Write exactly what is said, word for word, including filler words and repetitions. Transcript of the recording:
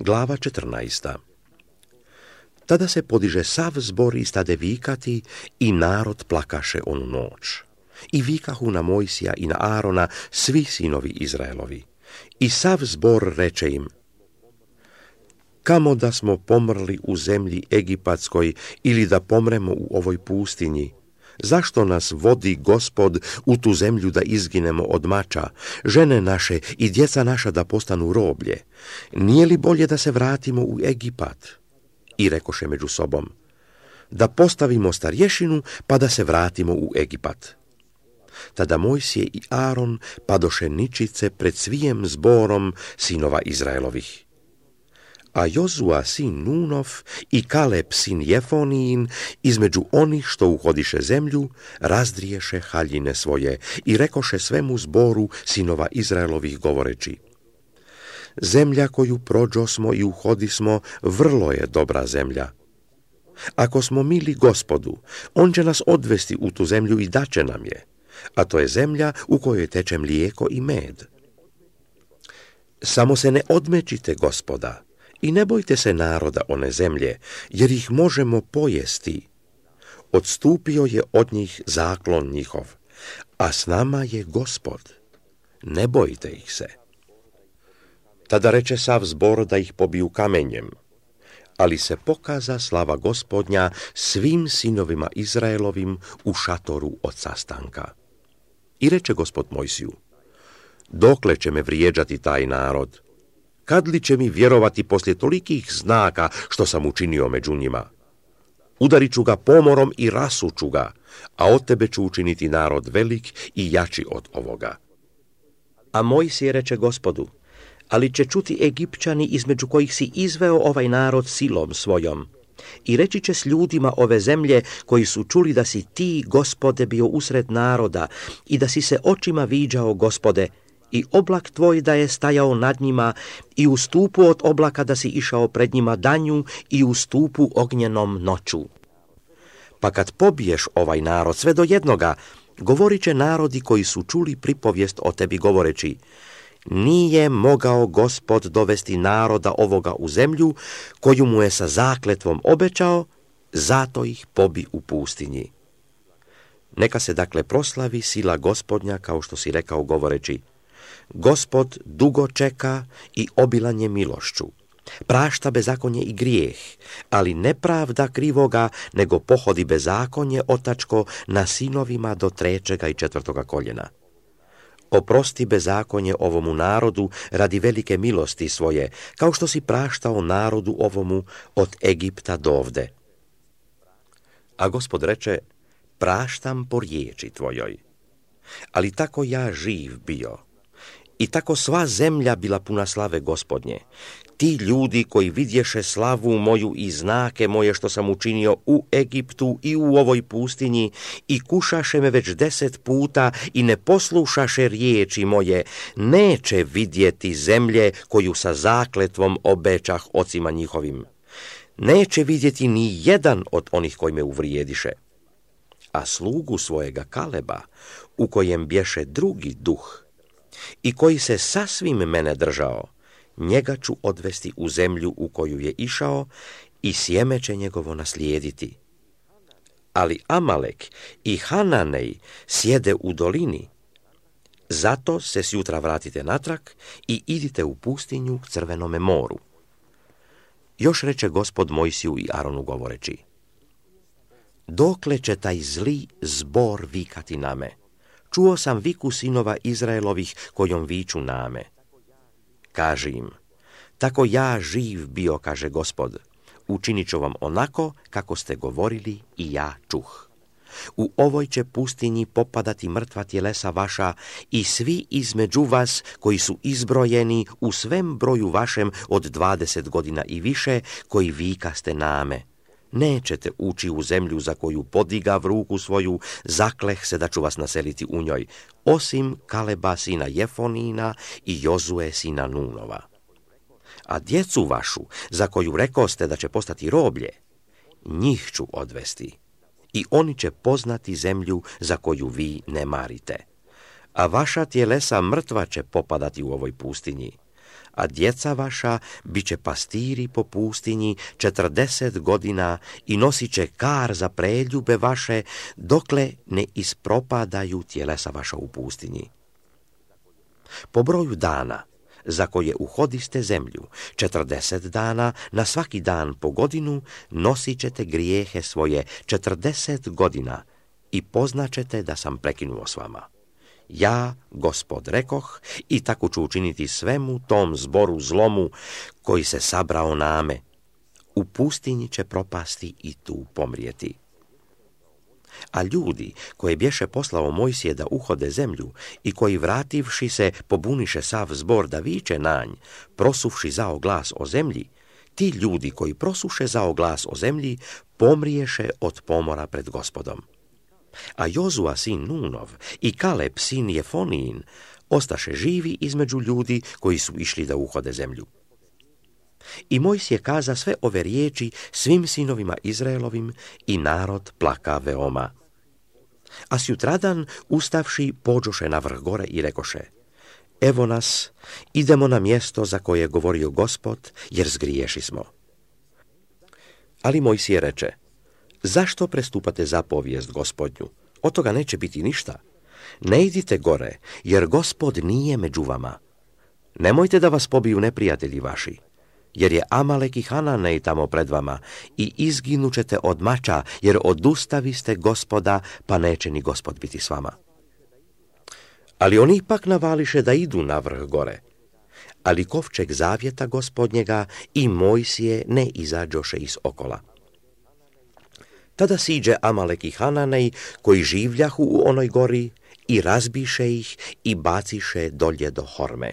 Glava četrnaesta. Tada se podiže sav zbor i stade vikati i narod plakaše onu noć. I vikahu na Mojsija i na Arona svi sinovi Izraelovi. I sav zbor reče im: kamo da smo pomrli u zemlji Egipatskoj ili da pomremo u ovoj pustinji? Zašto nas vodi Gospod u tu zemlju da izginemo od mača, žene naše i djeca naša da postanu roblje? Nije li bolje da se vratimo u Egipat? I rekoše među sobom: da postavimo starješinu pa da se vratimo u Egipat. Tada Mojsije i Aron padoše ničice pred svijem zborom sinova Izraelovih. A Jozua sin Nunov i Kaleb sin Jefonijin između onih što uhodiše zemlju razdriješe haljine svoje i rekoše svemu zboru sinova Izraelovih govoreći: zemlja koju prođosmo i uhodismo vrlo je dobra zemlja. Ako smo mili Gospodu, on će nas odvesti u tu zemlju i daće nam je, a to je zemlja u kojoj teče mlijeko i med. Samo se ne odmečite Gospoda i ne bojte se naroda one zemlje, jer ih možemo pojesti. Odstupio je od njih zaklon njihov, a s nama je Gospod. Ne bojte ih se. Tada reče sav zbor da ih pobiju kamenjem, ali se pokaza slava Gospodnja svim sinovima Izraelovim u šatoru od sastanka. I reče Gospod Mojsiju: dokle će me vrijeđati taj narod? Kad li će mi vjerovati poslije tolikih znaka što sam učinio među njima? Udarit ću ga pomorom i rasuću ga, a od tebe ću učiniti narod velik i jači od ovoga. A Mojsije reče Gospodu: ali će čuti Egipćani između kojih si izveo ovaj narod silom svojom. I reći će s ljudima ove zemlje koji su čuli da si ti, Gospode, bio usred naroda i da si se očima viđao, Gospode, i oblak tvoj da je stajao nad njima i u stupu od oblaka da si išao pred njima danju i u stupu ognjenom noću. Pa kad pobiješ ovaj narod sve do jednoga, govorit će narodi koji su čuli pripovijest o tebi govoreći: nije mogao Gospod dovesti naroda ovoga u zemlju koju mu je sa zakletvom obećao, zato ih pobi u pustinji. Neka se dakle proslavi sila Gospodnja, kao što si rekao govoreći: Gospod dugo čeka i obilan je milošću, prašta bezakonje i grijeh, ali ne pravda krivoga, nego pohodi bezakonje otačko na sinovima do trećega i četvrtoga koljena. Oprosti bezakonje ovomu narodu radi velike milosti svoje, kao što si praštao narodu ovomu od Egipta dovde. A Gospod reče: praštam po riječi tvojoj. Ali tako ja živ bio i tako sva zemlja bila puna slave Gospodnje. Ti ljudi koji vidješe slavu moju i znake moje što sam učinio u Egiptu i u ovoj pustinji i kušaše me već deset puta i ne poslušaše riječi moje, neće vidjeti zemlje koju sa zakletvom obećah ocima njihovim. Neće vidjeti ni jedan od onih koji me uvrijediše. A slugu svojega Kaleba, u kojem bješe drugi duh i koji se sasvim mene držao, njega ću odvesti u zemlju u koju je išao i sjeme će njegovo naslijediti. Ali Amalek i Hananej sjede u dolini. Zato se sjutra vratite natrag i idite u pustinju k Crvenome moru. Još reče Gospod Mojsiju i Aronu govoreći: dokle će taj zli zbor vikati na me? Čuo sam viku sinova Izraelovih kojom viču na me. Kaži im: tako ja živ bio, kaže Gospod, učinit ću vam onako kako ste govorili i ja čuh. U ovoj će pustinji popadati mrtva tjelesa vaša i svi između vas koji su izbrojeni u svem broju vašem od dvadeset godina i više, koji vikaste na me. Nećete ući u zemlju za koju podigav ruku svoju, zakleh se da ću vas naseliti u njoj, osim Kaleba sina Jefonina i Jozue sina Nunova. A djecu vašu, za koju rekoste da će postati roblje, njih ću odvesti i oni će poznati zemlju za koju vi ne marite. A vaša tjelesa mrtva će popadati u ovoj pustinji, a djeca vaša bit će pastiri po pustinji četrdeset godina i nosit će kar za preljube vaše, dokle ne ispropadaju tjelesa vaša u pustinji. Po broju dana za koje uhodiste zemlju, četrdeset dana, na svaki dan po godinu, nosit ćete grijehe svoje četrdeset godina i poznaćete da sam prekinuo s vama. Ja, Gospod, rekoh, i tako ću učiniti svemu tom zboru zlomu koji se sabrao name. U pustinji će propasti i tu pomrijeti. A ljudi koje bješe poslao Mojsije da uhode zemlju i koji vrativši se pobuniše sav zbor da viče nanj, prosuvši zao glas o zemlji, ti ljudi koji prosuše zao glas o zemlji pomriješe od pomora pred Gospodom. A Jozua sin Nunov i Kaleb sin Jefonijin ostaše živi između ljudi koji su išli da uhode zemlju. I Mojsije kaza sve ove riječi svim sinovima Izraelovim i narod plaka veoma. A sjutradan, ustavši, pođoše na vrh gore i rekoše: Evo nas, idemo na mjesto za koje je govorio Gospod, jer zgriješi smo. Ali Mojsije reče: Zašto prestupate zapovijest Gospodnju? Od toga neće biti ništa. Ne idite gore, jer Gospod nije među vama. Nemojte da vas pobiju neprijatelji vaši, jer je Amalek i Hananej tamo pred vama i izginućete od mača, jer odustaviste Gospoda, pa neće ni Gospod biti s vama. Ali oni ipak navališe da idu na vrh gore. Ali kovčeg zavjeta Gospodnjega i Mojsije ne izađoše iz okola. Tada siđe Amalek i Hananej, koji življahu u onoj gori, i razbiše ih i baciše dolje do Horme.